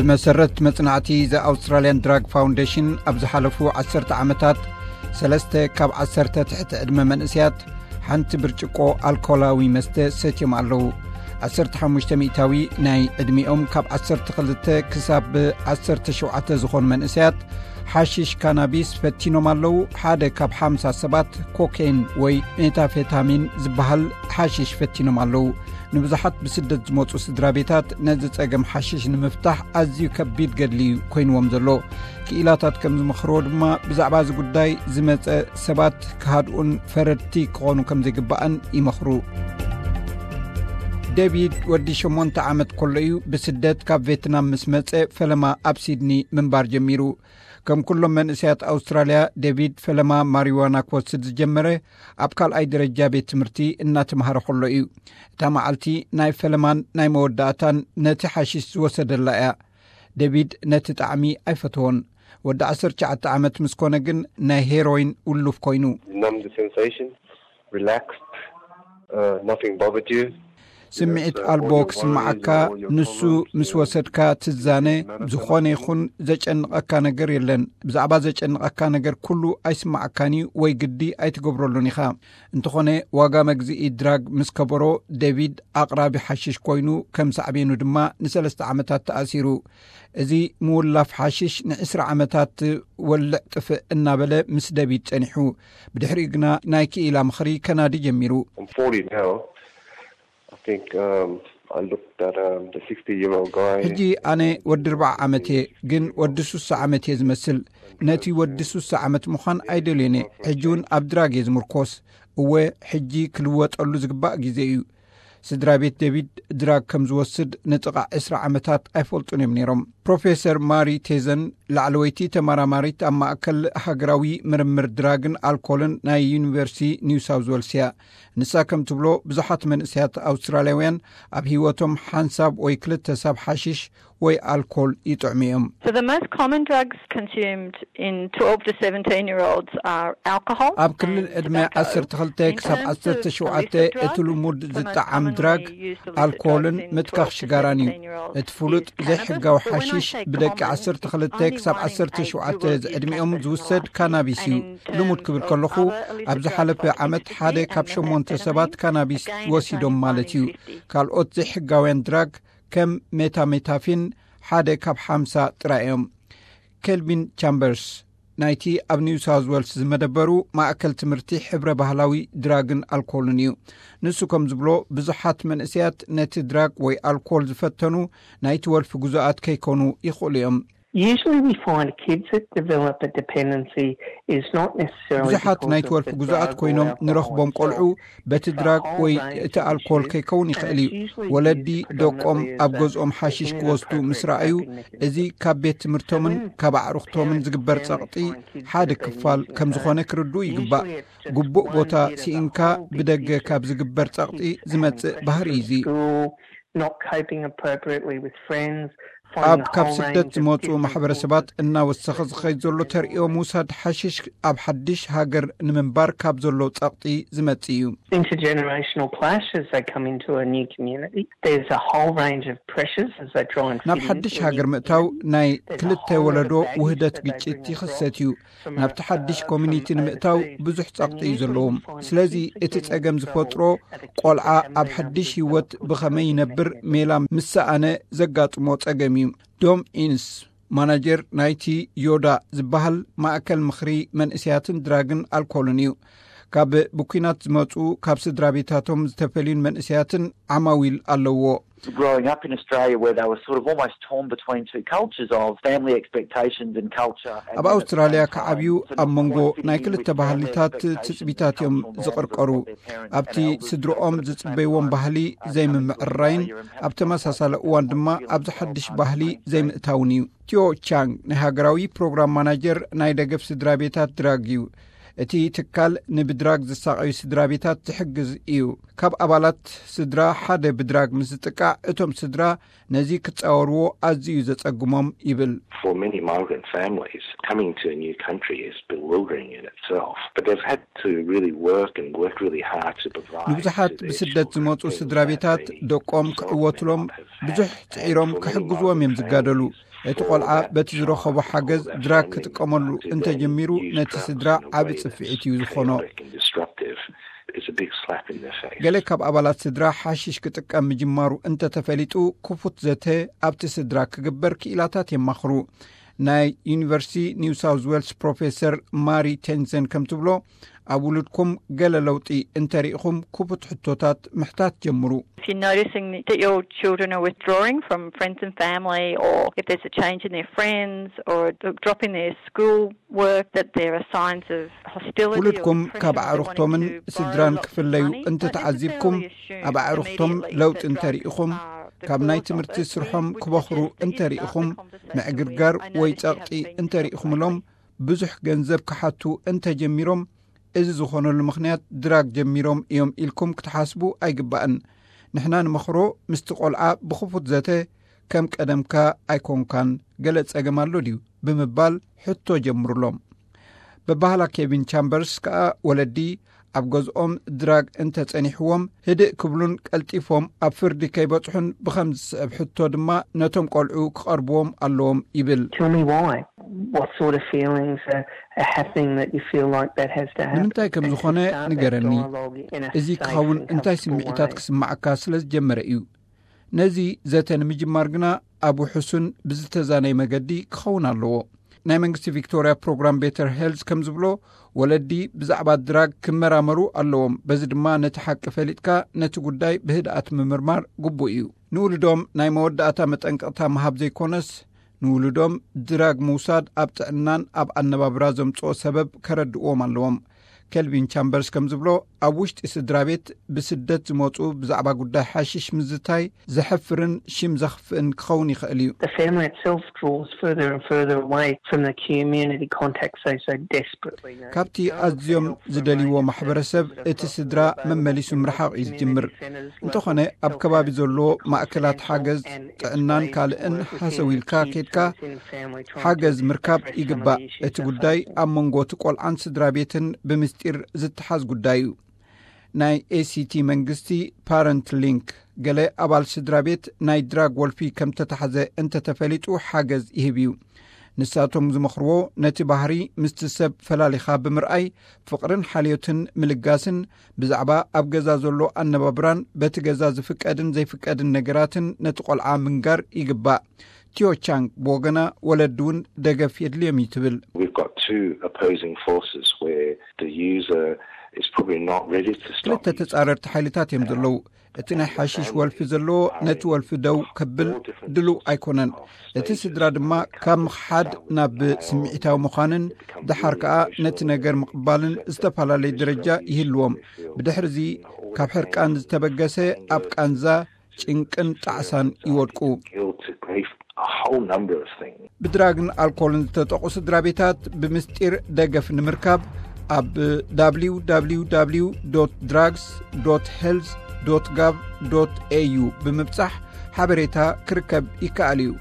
ብመሰረት መጽናዕቲ ዘ ኣውስትራልያን ድራግ ፋውንዴሽን፣ ኣብ ዝሓለፉ ዓሰርተ ዓመታት ሰለስተ ካብ ዓሰርተ ትሕቲ ዕድመ መንእሰያት ሓንቲ ብርጭቆ ኣልኮላዊ መስተ ሰትዮም ኣለዉ። ዓሰርተ ሓሙሽተ ሚእታዊ ናይ ዕድሚኦም ካብ ዓሰርተ ክልተ ክሳብ ዓሰርተ ሸውዓተ ዝኾኑ መንእሰያት ሓሽሽ፣ ካናቢስ ፈቲኖም ኣለዉ። ሓደ ካብ ሓምሳ ሰባት ኮኬን ወይ ሜታፌታሚን ዝበሃል ሓሽሽ ፈቲኖም ኣለዉ። ንብዙሓት ብስደት ዝመጹ ስድራ ቤታት ነዚ ጸገም ሓሽሽ ንምፍታሕ ኣዝዩ ከቢድ ገድሊ እዩ ኮይንዎም ዘሎ። ክኢላታት ከም ዝመኽርዎ ድማ፣ ብዛዕባ እዚ ጉዳይ ዝመጸ ሰባት ክሃድኡን ፈረድቲ ክኾኑ ከም ዘይግባእን ይመኽሩ። ዴቪድ ወዲ ሸሞንተ ዓመት ከሎ እዩ ብስደት ካብ ቬትናም ምስ መጸ ፈለማ ኣብ ሲድኒ ምንባር ጀሚሩ። ከም ኩሎም መንእሰያት ኣውስትራልያ፣ ዴቪድ ፈለማ ማሪዋና ክወስድ ዝጀመረ ኣብ ካልኣይ ደረጃ ቤት ትምህርቲ እናተምሃረ ከሎ እዩ። እታ መዓልቲ ናይ ፈለማን ናይ መወዳእታን ነቲ ሓሽሽ ዝወሰደላ እያ። ዴቪድ ነቲ ጣዕሚ ኣይፈተዎን። ወዲ ዓሰርተ ትሽዓተ ዓመት ምስ ኮነ ግን ናይ ሄሮይን ውሉፍ ኮይኑ። Numb the sensation, relaxed, uh, nothing bothered you. ስምዒት ኣልቦ ክስምዓካ፣ ንሱ ምስ ወሰድካ ትዛነ። ዝኾነ ይኹን ዘጨንቐካ ነገር የለን። ብዛዕባ ዘጨንቐካ ነገር ኩሉ ኣይስምዓካን እዩ ወይ ግዲ ኣይትገብረሉን ኢኻ። እንተኾነ፣ ዋጋ መግዝኢ ድራግ ምስ ከበሮ፣ ዴቪድ ኣቕራቢ ሓሽሽ ኮይኑ፣ ከም ሳዕቤኑ ድማ ንሰለስተ ዓመታት ተኣሲሩ። እዚ ምውላፍ ሓሽሽ ንዕስራ ዓመታት ወልዕ ጥፍእ እናበለ ምስ ዴቪድ ጸኒሑ። ብድሕሪኡ ግና ናይ ክኢላ ምኽሪ ከናዲ ጀሚሩ። I'm forty now. I think um, I looked at um, the sixty year old guy. ሕጂ ኣነ ወዲ ኣርብዓ ዓመት እየ፣ ግን ወዲ ሱሳ ዓመት እየ ዝመስል። ነቲ ወዲ ሱሳ ዓመት ምዃን ኣይደልዮን እየ። ሕጂ እውን ኣብ ድራግ እየ ዝምርኮስ። እወ፣ ሕጂ ክልወጠሉ ዝግባእ ግዜ እዩ። ስድራ ቤት ዴቪድ ድራግ ከም ዝወስድ ንጥቓዕ ዕስራ ዓመታት ኣይፈልጡን እዮም ነይሮም። ፕሮፌሰር ማሪ ቴዘን፣ ላዕለወይቲ ተመራማሪት ኣብ ማእከል ሃገራዊ ምርምር ድራግን ኣልኮልን ናይ ዩኒቨርሲቲ ኒው ሳውዝ ዌልስ እያ። ንሳ ከም ትብሎ፣ ብዙሓት መንእሰያት ኣውስትራልያውያን ኣብ ህይወቶም ሓንሳብ ወይ ክልተ ሳብ ሓሽሽ ወይ ኣልኮል ይጥዕሙ እዮም። So the most common drugs consumed in twelve to seventeen year olds are alcohol. ኣብ ክልል ዕድመ ዓሰርተ ክልተ ክሳብ ዓሰርተ ሸውዓተ እቲ ልሙድ ዝጠዓም ድራግ ኣልኮልን ምትካኽ ሽጋራን እዩ። እቲ ፍሉጥ ዘይሕጋዊ ሓሽሽ ብደቂ ዓሰርተ ክልተ ክሳብ ዓሰርተ ሸውዓተ ዝዕድሚኦም ዝውሰድ ካናቢስ እዩ። ልሙድ ክብል ከለኹ፣ ኣብ ዝሓለፈ ዓመት ሓደ ካብ ሸሞንተ ሰባት ካናቢስ ወሲዶም ማለት እዩ። ካልኦት ዘይሕጋውያን ድራግ ከም ሜታሜታፊን ሓደ ካብ ሓምሳ ጥራይ እዮም። ኬልቪን ቻምበርስ ናይቲ ኣብ ኒው ሳውዝ ዌልስ ዝመደበሩ ማእከል ትምህርቲ ሕብረ ባህላዊ ድራግን ኣልኮልን እዩ። ንሱ ከም ዝብሎ፣ ብዙሓት መንእሰያት ነቲ ድራግ ወይ ኣልኮል ዝፈተኑ ናይ ትወልፊ ግዙኣት ከይኮኑ ይኽእሉ እዮም። Usually we find kids that develop a dependency is not necessarily ብዙሓት ናይ ትወልፊ ግዙኣት ኮይኖም ንረኽቦም ቆልዑ በቲ ድራግ ወይ እቲ ኣልኮል ከይከውን ይኽእል እዩ። ወለዲ ደቆም ኣብ ገዝኦም ሓሽሽ ክወስዱ ምስ ረኣዩ፣ እዚ ካብ ቤት ትምህርቶምን ካብ ኣዕሩኽቶምን ዝግበር ጸቕጢ ሓደ ክፋል ከም ዝኾነ ክርድኡ ይግባእ። ግቡእ ቦታ ስኢንካ ብደገ ካብ ዝግበር ጸቕጢ ዝመጽእ ባህሪ እዩ እዚ። School, not coping appropriately with friends, ኣብ ካብ ስደት ዝመፁ ማሕበረሰባት እናወሰኸ ዝኸይድ ዘሎ ተርእዮ ምውሳድ ሓሽሽ ኣብ ሓድሽ ሃገር ንምንባር ካብ ዘሎ ጸቕጢ ዝመጽእ እዩ። Intergenerational clash as they come into a new community. There's a whole range of pressures as they try and ናብ ሓድሽ ሃገር ምእታው ናይ ክልተ ወለዶ ውህደት ግጭት ይኽሰት እዩ። ናብቲ ሓድሽ ኮሚኒቲ ንምእታው ብዙሕ ጸቕጢ እዩ ዘለዎም። ስለዚ እቲ ጸገም ዝፈጥሮ ቆልዓ ኣብ ሓድሽ ህይወት ብኸመይ ይነብር ሜላ ምስ ሰኣነ ዘጋጥሞ ጸገም እዩ። ዶም ኢንስ ማናጀር ናይቲ ዮዳ ዝበሃል ማእከል ምኽሪ መንእሰያትን ድራግን ኣልኮልን እዩ። ካብ ብኲናት ዝመጹ ካብ ስድራ ቤታቶም ዝተፈልዩን መንእሰያትን ዓማዊል ኣለዎ። Growing up in Australia where they were sort of almost torn between two cultures of family expectations and culture. ኣብ ኣውስትራልያ ክዓብዩ ኣብ መንጎ ናይ ክልተ ባህልታት ትጽቢታት እዮም ዝቕርቀሩ። ኣብቲ ስድርኦም ዝጽበይዎም ባህሊ ዘይምምዕራይን ኣብ ተመሳሳሊ እዋን ድማ ኣብዚ ሓድሽ ባህሊ ዘይምእታውን እዩ። ቲዮ ቻንግ ናይ ሃገራዊ ፕሮግራም ማናጀር ናይ ደገፍ ስድራ ቤታት ድራግ እዩ። እቲ ትካል ንብድራግ ዝሳቐዩ ስድራ ቤታት ዝሕግዝ እዩ። ካብ ኣባላት ስድራ ሓደ ብድራግ ምስ ዝጥቃዕ፣ እቶም ስድራ ነዚ ክጻወርዎ ኣዝዩ ዘጸግሞም ይብል። For many migrant families, coming to a new country is bewildering in itself, but they've had to really work and work really hard to provide. ንብዙሓት ብስደት ዝመጹ ስድራ ቤታት ደቆም ክዕወትሎም ብዙሕ ጽዒሮም ክሕግዝዎም እዮም ዝጋደሉ። እቲ ቆልዓ በቲ ዝረኸቦ ሓገዝ ድራግ ክጥቀመሉ እንተጀሚሩ፣ ነቲ ስድራ ዓቢ ጽፍዒት እዩ ዝኾኖ። ገለ ካብ ኣባላት ስድራ ሓሽሽ ክጥቀም ምጅማሩ እንተተፈሊጡ፣ ክፉት ዘተ ኣብቲ ስድራ ክግበር ክኢላታት የማኽሩ። ናይ ዩኒቨርሲቲ ኒው ሳውዝ ዌልስ ፕሮፌሰር ማሪ ቴንሰን ከም ትብሎ፣ ኣብ ውሉድኩም ገለ ለውጢ እንተሪእኹም፣ ክፉት ሕቶታት ምሕታት ጀምሩ። If you're noticing that your children are withdrawing from friends and family, or if there's a change in their friends or a drop in their school work, that there are signs of hostility. ውሉድኩም ካብ ኣዕሩኽቶምን ስድራን ክፍለዩ እንተተዓዚብኩም፣ ኣብ ኣዕሩኽቶም ለውጢ እንተሪእኹም፣ ካብ ናይ ትምህርቲ ስርሖም ክበኽሩ እንተሪእኹም፣ ምዕግርጋር ወይ ጸቕጢ እንተሪእኹምሎም፣ ብዙሕ ገንዘብ ክሓቱ እንተጀሚሮም፣ እዚ ዝኾነሉ ምኽንያት ድራግ ጀሚሮም እዮም ኢልኩም ክትሓስቡ ኣይግባእን። ንሕና ንመኽሮ፣ ምስቲ ቆልዓ ብኽፉት ዘተ፣ ከም ቀደምካ ኣይኮንካን፣ ገለ ጸገም ኣሎ ድዩ ብምባል ሕቶ ጀምሩሎም። በባህላ ኬቪን ቻምበርስ ከኣ፣ ወለዲ ኣብ ገዝኦም ድራግ እንተጸኒሕዎም፣ ህድእ ክብሉን ቀልጢፎም ኣብ ፍርዲ ከይበጽሑን፣ ብኸም ዝስዕብ ሕቶ ድማ ነቶም ቆልዑ ክቐርብዎም ኣለዎም ይብል። Tell me why. What sort of feelings are, are happening that you feel like that has to happen? ንምንታይ ከም ዝኾነ ንገረኒ። እዚ ክኸውን እንታይ ስምዒታት ክስማዓካ ስለ ዝጀመረ እዩ። ነዚ ዘተ ንምጅማር ግና ኣብ ውሑሱን ብዝተዛነየ መገዲ ክኸውን ኣለዎ። ናይ መንግስቲ ቪክቶርያ ፕሮግራም ቤተር ሄልዝ ከም ዝብሎ፣ ወለዲ ብዛዕባ ድራግ ክመራመሩ ኣለዎም። በዚ ድማ ነቲ ሓቂ ፈሊጥካ ነቲ ጉዳይ ብህድኣት ምምርማር ግቡእ እዩ። ንውሉዶም ናይ መወዳእታ መጠንቀቕታ ምሃብ ዘይኮነስ፣ ንውሉዶም ድራግ ምውሳድ ኣብ ጥዕናን ኣብ ኣነባብራ ዘምጽኦ ሰበብ ከረድእዎም ኣለዎም። ኬልቪን ቻምበርስ ከም ዝብሎ፣ ኣብ ውሽጢ ስድራ ቤት ብስደት ዝመጹ ብዛዕባ ጉዳይ ሓሽሽ ምዝታይ ዘሕፍርን ሽም ዘኽፍእን ክኸውን ይኽእል እዩ። The family itself draws further and further away from the community contacts they so desperately need. ካብቲ ኣዝዮም ዝደልይዎ ማሕበረሰብ እቲ ስድራ መመሊሱ ምርሓቕ እዩ ዝጅምር። እንተኾነ፣ ኣብ ከባቢ ዘሎ ማእከላት ሓገዝ ጥዕናን ካልእን ሃሰው ኢልካ ኬድካ ሓገዝ ምርካብ ይግባእ። እቲ ጉዳይ ኣብ መንጎ እቲ ቆልዓን ስድራ ቤትን ብምስጢር ዝተሓዝ ጉዳይ እዩ። ናይ ኤሲቲ መንግስቲ ፓረንት ሊንክ፣ ገለ ኣባል ስድራ ቤት ናይ ድራግ ወልፊ ከም ተታሕዘ እንተተፈሊጡ ሓገዝ ይህብ እዩ። ንሳቶም ዝመኽርዎ፣ ነቲ ባህሪ ምስቲ ሰብ ፈላሊኻ ብምርኣይ፣ ፍቕርን ሓልዮትን ምልጋስን፣ ብዛዕባ ኣብ ገዛ ዘሎ ኣነባብራን በቲ ገዛ ዝፍቀድን ዘይፍቀድን ነገራትን ነቲ ቆልዓ ምንጋር ይግባእ። ቲዮ ቻንግ ብወገና፣ ወለዲ እውን ደገፍ የድልዮም እዩ ትብል። We've got two opposing forces where the user is probably not ready to stop. ክልተ ተጻረርቲ ሓይልታት እዮም ዘለዉ። እቲ ናይ ሓሽሽ ወልፊ ዘለዎ ነቲ ወልፊ ደው ከብል ድሉው ኣይኮነን። እቲ ስድራ ድማ ካብ ምኽሓድ ናብ ስምዒታዊ ምዃንን ደሓር ከኣ ነቲ ነገር ምቕባልን ዝተፈላለየ ደረጃ ይህልዎም። ብድሕሪ እዚ፣ ካብ ሕርቃን ዝተበገሰ ኣብ ቃንዛ፣ ጭንቅን ጣዕሳን ይወድቁ። Guilt, grief, a whole number of things. ብድራግን ኣልኮልን ዝተጠቑ ስድራ ቤታት ብምስጢር ደገፍ ንምርካብ ኣብ www drugs health gov au ብምብጻሕ ሓበሬታ ክርከብ ይከኣል እዩ።